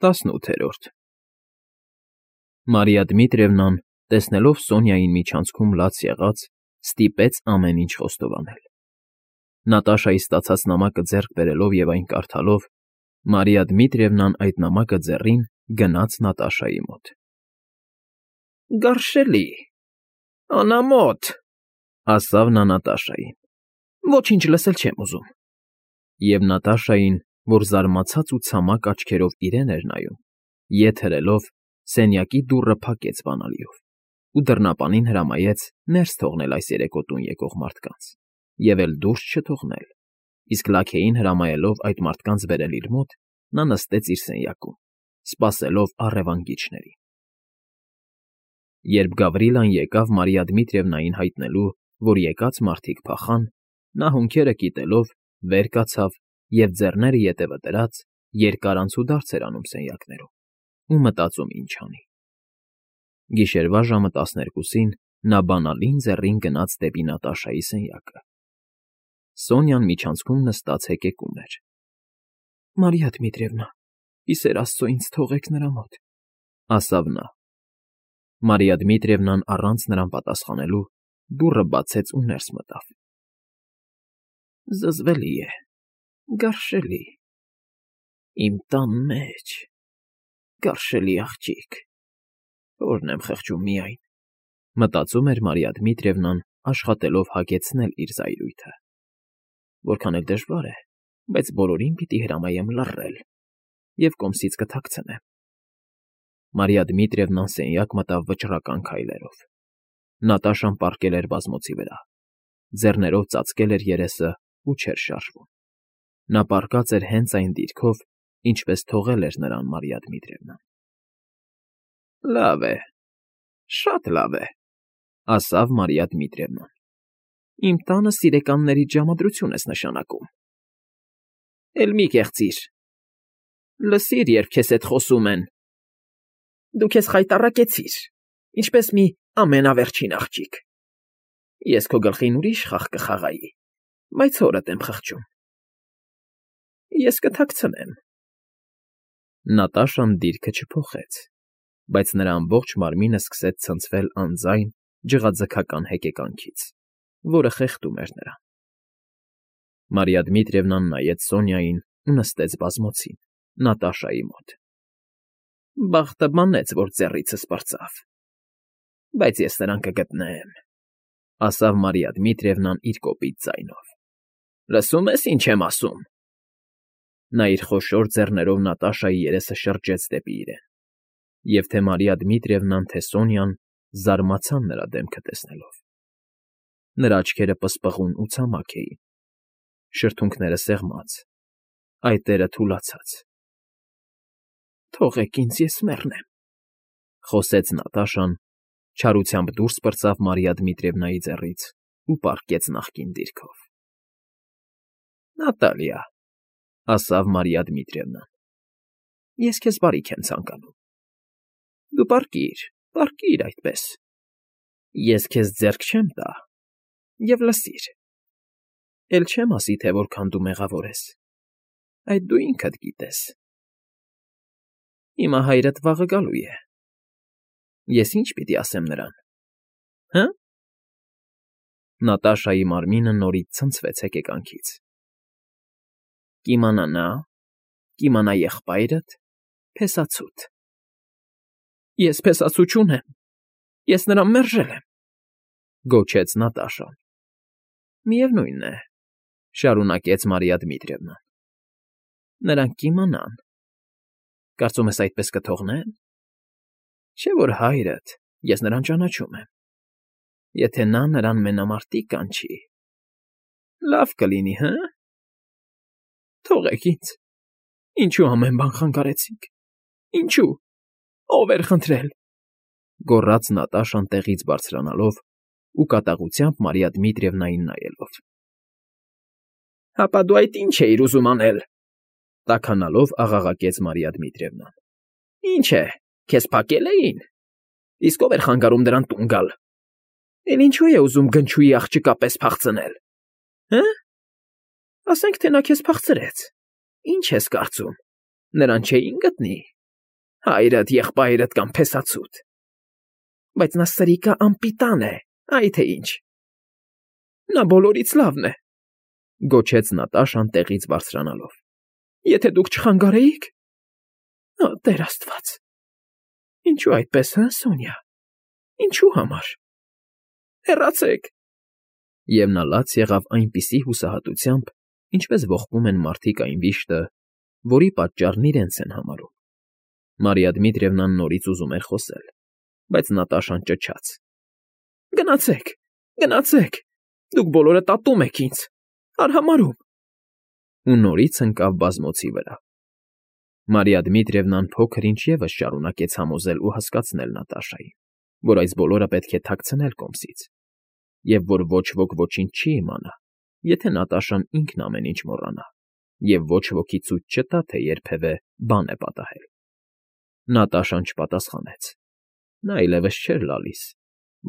18 Մարիա Դմիտրիևնան, տեսնելով Սոնյային միջանցքում լաց եղած, ստիպեց ամեն ինչ խոստովանել։ Նատաշայի ստացած նամակը ձեռք բերելով և այն կարդալով, Մարիա Դմիտրիևնան այդ նամակը ձեռին գնաց Նատաշայի մոտ։ «Գարշելի, անամոթ», ասավ նա Նատաշային, «ոչինչ լսել չեմ ուզում»։ Եվ Նատաշային, որ զարմացած ու ցամաք աչքերով իրեն էր նայում, ետ հրելով, սենյակի դուռը փակեց բանալիով ու դռնապանին հրամայեց ներս թողնել այս երեկո տուն եկող մարդկանց և էլ դուրս չթողնել, իսկ լաքեին հրամայելով այդ մարդկանց բերել իր մոտ, նա նստեց իր սենյակում, սպասելով առևանգիչներին։ Երբ Գավրիլան եկավ Մարիա Դմիտրիևնային հայտնելու, որ եկած մարդիկ փախան, նա հոնքերը կիտելով վեր կացավ և ձեռները ետևը դրած երկար անցուդարձ էր անում սենյակներում ու մտածում ինչ անի։ Գիշերվա ժամը 12-ին նա բանալին ձեռին գնաց դեպի Նատաշայի սենյակը։ Սոնյան միջանցքում նստած հեկեկում էր։ «Մարիա Դմիտրիևնա, ի սեր Աստծո ինձ թողեք նրա մոտ», ասավ նա։ Մարիա Դմիտրիևնան առանց նրան պատասխանելու դուռը բացեց ու ներս մտավ։ «Զզվելի է, գարշելի, իմ տան մեջ, գարշելի աղջիկ, որն եմ խղճում միայն», մտածում էր Մարիա Դմիտրիևնան, աշխատելով հագեցնել իր զայրույթը։ Որքան էլ դժվար է, բայց բոլորին պիտի հրամայեմ լռել և կոմսից կթաքցնեմ։ Մարիա Դմիտրիևնան սենյակ մտավ վճռական քայլերով։ Նատաշան պառկել էր բազմոցի վրա, ձեռներով ծածկել էր երեսը ու չէր շարժվում։ Նա պառկած էր հենց այն դիրքով, ինչպես թողել էր նրան Մարիա Դմիտրիևնան։ «Լավ է, շատ լավ է», ասավ Մարիա Դմիտրիևնան։ «Իմ տանը սիրեկաններից ժամադրություն ես նշանակում։ Էլ մի կեղծիր։ Լսիր, երբ քեզ հետ խոսում են։ Դու քեզ խայտառակեցիր, ինչպես մի ամենավերջին աղջիկ։ Ես քո գլխին ուրիշ խաղ կխաղայի, բայց հորդ եմ խղճում։ Ես կթաքցնեմ»։ Նատաշան դիրքը չփոխեց, բայց նրա ամբողջ մարմինը սկսեց ցնցվել անձայն ջղաձգական հեկեկանքից, որը խեղդում էր նրան։ Մարիա Դմիտրիևնան նայեց Սոնյային ու նստեց բազմոցին, Նատաշայի մոտ։ «Բախտը բանեց, որ ծեռիցս պրծավ, բայց ես նրան կգտնեմ», ասավ Մարիա Դմիտրիևնան իր կոպիտ ձայնով։ «Լսում ես, ինչ եմ ասում»։ Նա իր խոշոր ձեռներով Նատաշայի երեսը շրջեց դեպի իրեն, և թե Մարիա Դմիտրիևնան, թե Սոնյան զարմացան նրա դեմքը տեսնելով։ Նրա աչքերը պսպղուն ու ցամաք էին, շրթունքները սեղմած, այտերը թուլացած։ «Թողեք ինձ, ես մեռնեմ», խոսեց Նատաշան, չարությամբ դուրս պրծավ Մարիա Դմիտրիևնայի ձեռից ու պառկեց նախկին դիրքով։ «Նատալիա», ասավ Մարիա Դմիտրիևնան, «ես քեզ բարիք եմ ցանկանում։ Դու պառկիր այդպես։ Ես քեզ ձեռք չեմ տա, և լսիր։ Էլ չեմ ասի, թե որքան դու մեղավոր ես, այդ դու ինքդ գիտես։ Հիմա հայրդ վաղը գալու է։ Ես ի՞նչ պիտի ասեմ նրան, հը»։ Նատաշայի մարմինը նորից ցնցվեց հեկեկանքից։ «Կիմանա նա, կիմանա եղբայրդ, փեսացուդ»։ «Ես փեսացու չունեմ, ես նրան մերժել եմ», գոչեց Նատաշան։ «Միևնույն է», շարունակեց Մարիա Դմիտրիևնան, «նրանք կիմանան։ Կարծում ես այդպես կթողնեն։ Չէ՞ որ հայրդ, ես նրան ճանաչում եմ։ Եթե նա նրան մենամարտիկ կանչի, լավ կլինի, հը՞։ Թողեք ինձ, ինչու ամեն բան խանգարեցիք, ինչու, ով էր խնդրել», գոռաց Նատաշան տեղից բարձրանալով ու կատաղությամբ Մարիա Դմիտրիևնային նայելով։ «Հապա դու այդ ի՞նչ էիր ուզում անել», տաքանալով աղաղակեց Մարիա Դմիտրիևնան։ «Ինչ է, քեզ փակել էին։ Իսկ ով էր խանգարում դրան տուն գալ։ Էլ ինչու է ուզում գնչուի աղջկա պես փախցնել, հը։ Ասենք թե նա քեզ փախցրեց, ինչ ես կարծում, նրան չէին գտնի։ Հայրդ, եղբայրդ կամ փեսացուդ։ Բայց նա սրիկա անպիտան է, այ թե ինչ։ Նա բոլորից լավն է, գոչեց Նատաշան տեղից բարձրանալով։ Եթե դուք չխանգարեիք… Տեր Աստված… Ինչու այդպես, հա, Սոնյա… Ինչու համար… Հեռացեք… Եվ նա լաց եղավ այնպիսի հուսահատությամբ, ինչպես ողբում են մարդիկ այն վիշտը, որի պատճառն իրենց են համարում։ Մարիա Դմիտրիևնան նորից ուզում էր խոսել, բայց Նատաշան ճչաց. Գնացեք, գնացեք… Դուք բոլորդ ատում եք ինձ… Արհամարհում… Ու նորից ընկավ բազմոցի վրա։ Մարիա Դմիտրիևնան փոքր-ինչ ևս շարունակեց համոզել ու հասկացնել Նատաշային, որ այս բոլորը պետք է թաքցնել կոմսից, և որ ոչ ոք ոչինչ չի իմանա, եթե Նատաշան ինքն ամեն ինչ մոռանա, և ոչ ոքի ցույց չտա, թե երբևէ բան է պատահել։ Նատաշան չպատասխանեց։ Նա այլևս չէր լալիս,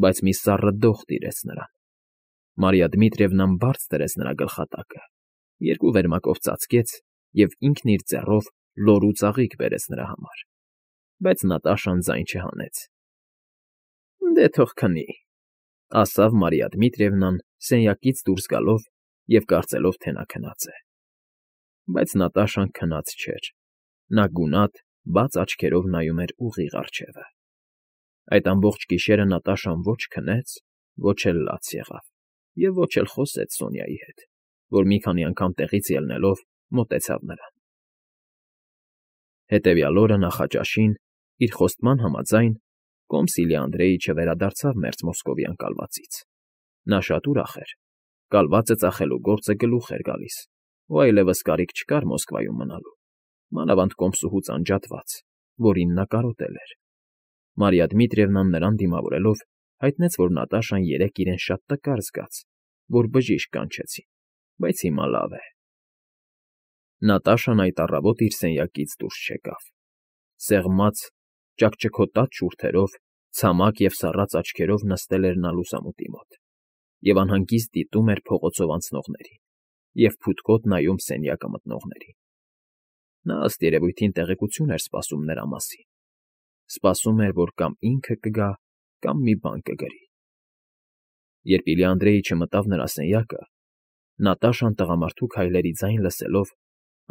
բայց մի սառը դող տիրեց նրան։ Մարիա Դմիտրիևնան բարձ դրեց նրա գլխատակը, երկու վերմակով ծածկեց և ինքն իր ձեռով լոր ու ծաղիկ բերեց նրա համար, բայց Նատաշան ձայն չհանեց։ Դե թող քնի, ասավ Մարիա Դմիտրիևնան սենյակից դուրս գալով և կարծելով, թե նա քնած է։ Բայց Նատաշան քնած չէր։ Նա գունատ, բաց աչքերով նայում էր ուղիղ առջևը։ Այդ ամբողջ գիշերը Նատաշան ոչ քնեց, ոչ էլ լաց եղավ, և ոչ էլ խոսեց Սոնյայի հետ, որ մի քանի անգամ տեղից ելնելով մոտեցավ նրան։ Հետևյալ օրը նախաճաշին, իր խոստման համաձայն, Կոմսիլյա Անդրեիչը վերադարձավ մերձ մոսկովյան կալվածից։ Նա շատ ուրախ էր։ Կալվածը ծախելու գործը գլուխ էր գալիս, ու այլևս կարիք չկար Մոսկվայում մնալու, մանավանդ կոմսուհուց անջատված, որին նա կարոտել էր։ Մարիա Դմիտրիևնան նրան դիմավորելով հայտնեց, որ Նատաշան երեկ իրեն շատ տկար զգաց, որ բժիշկ կանչեցին, բայց հիմա լավ է։ Նատաշան այդ առավոտ իր սենյակից դուրս չեկավ։ Սեղմած, ճաքճքոտած շուրթերով, ցամաք և սառած աչքերով նստել էր նա լուսամուտի մոտ և անհանգիստ դիտում էր փողոցով անցնողներին և փութկոտ նայում սենյակը մտնողներին։ Նա, ըստ երևույթին, տեղեկություն էր սպասում նրա մասին։ Սպասում էր, որ կամ ինքը կգա, կամ մի բան կգրի։ Երբ Իլյա Անդրեիչը մտավ նրա սենյակը, Նատաշան տղամարդու քայլերի ձայն լսելով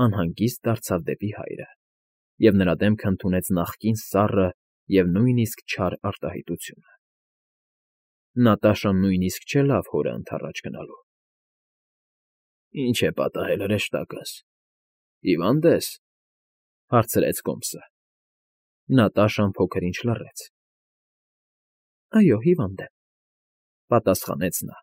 անհանգիստ դարձավ դեպի հայրը և նրա դեմքը ընդունեց նախկին սառը և նույնիսկ չար արտահայտությունը։ Նատաշան նույնիսկ չելավ հորը ընդառաջ գնալու։ Ինչ է պատահել, հրեշտակս, հիվա՞նդ ես,֊ հարցրեց կոմսը։ Նատաշան փոքր-ինչ լռեց։ Այո, հիվանդ եմ,֊ պատասխանեց նա։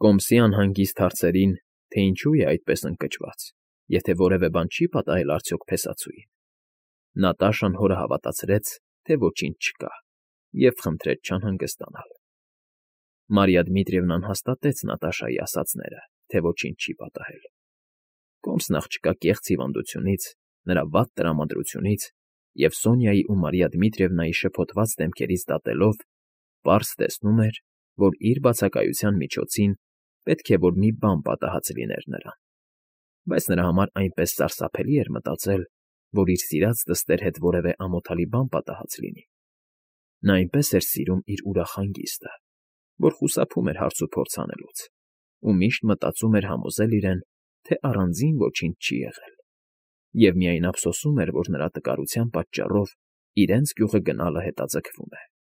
Կոմսի անհանգիստ հարցերին, թե ինչու է այդպես ընկճված, եթե որևէ բան չի պատահել արդյոք փեսացուին, Նատաշան հորը հավատացրեց, թե ոչինչ չկա, և խնդրեց չանհանգստանալ։ Մարիա Դմիտրիևնան հաստատեց Նատաշայի ասածները, թե ոչինչ չի պատահել։ Կոմսն աղջկա կեղծ հիվանդությունից, նրա վատ տրամադրությունից և Սոնյայի ու Մարիա Դմիտրիևնայի շփոթված դեմքերից դատելով, պարզ տեսնում էր, որ իր բացակայության միջոցին պետք է որ մի բան պատահած լիներ նրան, բայց նրա համար այնպես սարսափելի էր մտածել, որ իր սիրած դստեր հետ որևէ ամոթալի բան պատահած լինի։ Նա այնպես էր սիրում իր ուրախ հանգիստը, որ խուսափում էր հարցուփորձ անելուց, ու միշտ մտածում էր համոզել իրեն, թե առանձին ոչինչ չի եղել, և միայն ափսոսում էր, որ նրա տկարության պատճառով իրենց գյուղը գնալը հետաձգվում է։